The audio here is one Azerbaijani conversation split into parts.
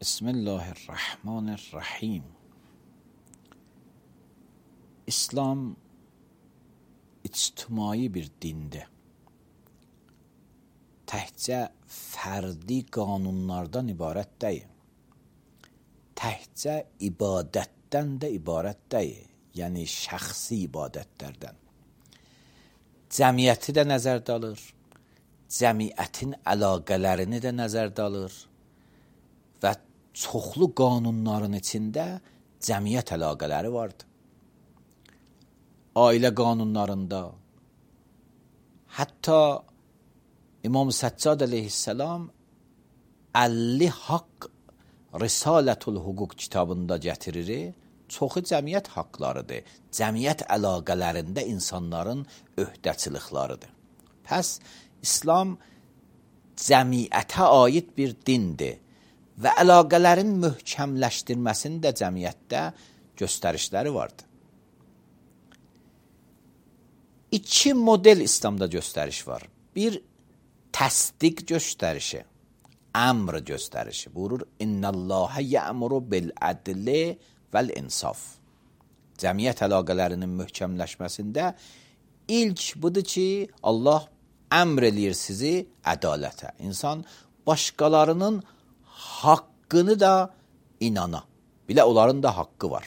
بسم الله الرحمن الرحیم. İslam ictimai bir dindir. Təkcə fərdi qanunlardan ibarət deyil. Təkcə ibadətdən də ibarət deyil. Yəni şəxsi ibadətlərdən. Cəmiyyəti də nəzərdə alır. Cəmiyyətin əlaqələrini də nəzərdə alır. Və çoxlu qanunların içində cəmiyyət əlaqələri vardır. Ailə qanunlarında, hətta İmam Səccad əleyhissalam 50 haqq Risalətül Hüquq kitabında gətirir. Çoxu cəmiyyət haqlarıdır. Cəmiyyət əlaqələrində insanların öhdəçiliklarıdır. Pəs İslam cəmiyyətə aid bir dindir və əlaqələrin möhkəmləşdirməsində cəmiyyətdə göstərişləri vardır. İki model İslamda göstəriş var. Bir, təsdiq göstərişi, əmr göstərişi. Buyurur, İnnəllâhə yə'muru bil-ədli vəl-insaf. Cəmiyyət əlaqələrinin möhkəmləşməsində ilk budur ki, Allah əmr eləyir sizi ədalətə. İnsan başqalarının haqqını da inana. Bilə onların da haqqı var.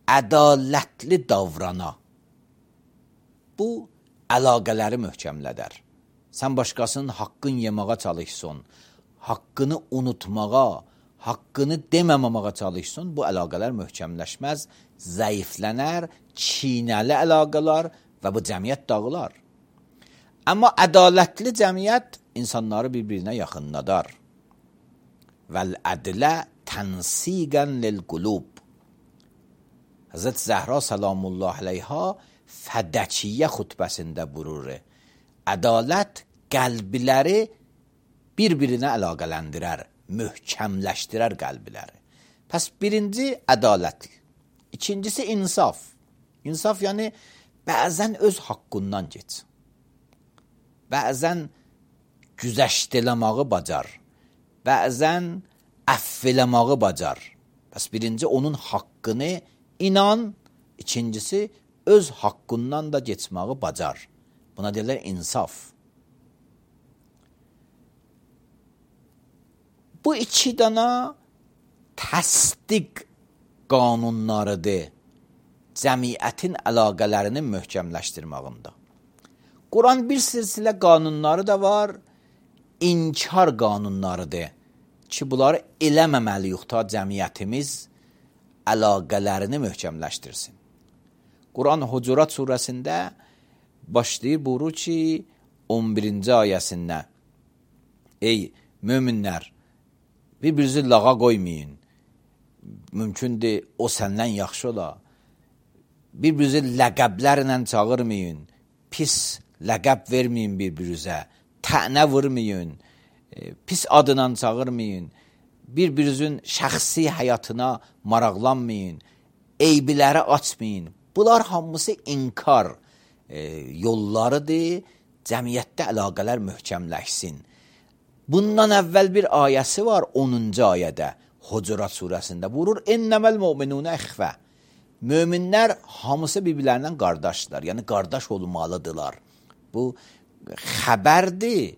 Ədalətli davrana. Bu, əlaqələri möhkəmlədər. Sən başqasının haqqını yemağa çalışsın, haqqını unutmağa, haqqını deməməməyə çalışsın, bu əlaqələr möhkəmləşməz, zəiflənər, çiynəli əlaqələr və bu cəmiyyət dağılar. Amma ədalətli cəmiyyət insanları bir-birinə yaxınladar. Vəl-ədlə tənsiqən lil-qulub. Həzrət Zəhra salamullah aleyha Fədəkiyyə xutbəsində buyurur. Ədalət qəlbləri bir-birinə əlaqələndirər, möhkəmləşdirər qəlbləri. Pəs birinci ədalət, ikincisi insaf. İnsaf yəni bəzən öz haqqından geç. Bəzən güzəşt eləməyi bacar. Bəzən əff eləməyi bacar. Pəs birinci onun haqqını inan, ikincisi öz haqqından da geçməyi bacar. Buna deyirlər insaf. Bu iki dana təsdiq qanunlarıdır cəmiyyətin əlaqələrinin möhkəmləşdirməyində. Quran bir silsilə qanunları da var, inkar qanunlarıdır ki, bunları eləməməliyik ta cəmiyyətimiz əlaqələrini möhkəmləşdirsin. Quran Hucurat surəsində başlayır buyurur ki, 11-ci ayəsində ey möminlər, bir-birinizi lağa qoymayın. Mümkündür, o səndən yaxşı ola. Bir-birinizi ləqəblərlə çağırmayın. Pis ləqəb verməyin bir-birinizə. Tənə vurmayın. Pis adına çağırmayın. Bir-birinizin şəxsi həyatına maraqlanmayın. Eybiləri açmayın. Bunlar hamısı inkar yollarıdır. Cəmiyyətdə əlaqələr möhkəmləşsin. Bundan əvvəl bir ayəsi var 10-cu ayədə Hucurat surəsində. Buyurur, İnnəməl mu'minunə ixvə. Möminlər hamısı bir-birlərindən qardaşlar. Yəni qardaş olmalıdırlar. Bu xəbərdir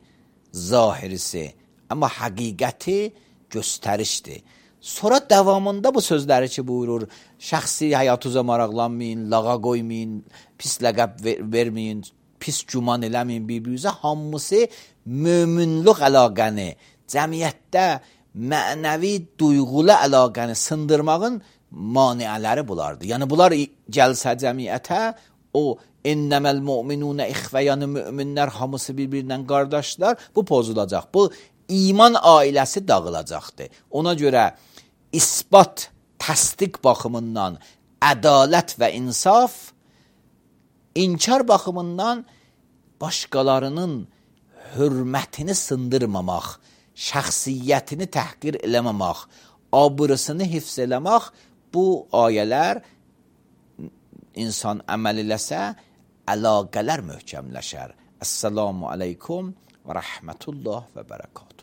zahirisi. Amma həqiqəti göstərişdir. Sonra davamında bu sözləri ki buyurur, şəxsi həyatınıza maraqlanmayın, lağa qoymayın, pis ləqəb verməyin, pis güman eləməyin bir-birinizə. Hamısı möminluq əlaqəni, cəmiyyətdə mənəvi duyğulu əlaqəni sındırmağın maniələri bulardır. Yəni bunlar gəlsə cəmiyyətə, o innəməl mu'minunə ixvə, yəni möminlər hamısı bir-birindən qardaşlar, bu pozulacaq. Bu iman ailəsi dağılacaqdır. Ona görə isbat, təsdiq baxımından ədalət və insaf, inkar baxımından başqalarının hörmətini sındırmamaq, şəxsiyyətini təhqir eləməmək, abırısını hifz eləmək, bu ayələr insan əməl eləsə, əlaqələr möhkəmləşər. Əssalamu aleykum və rəhmətullah və bərəkatuhu.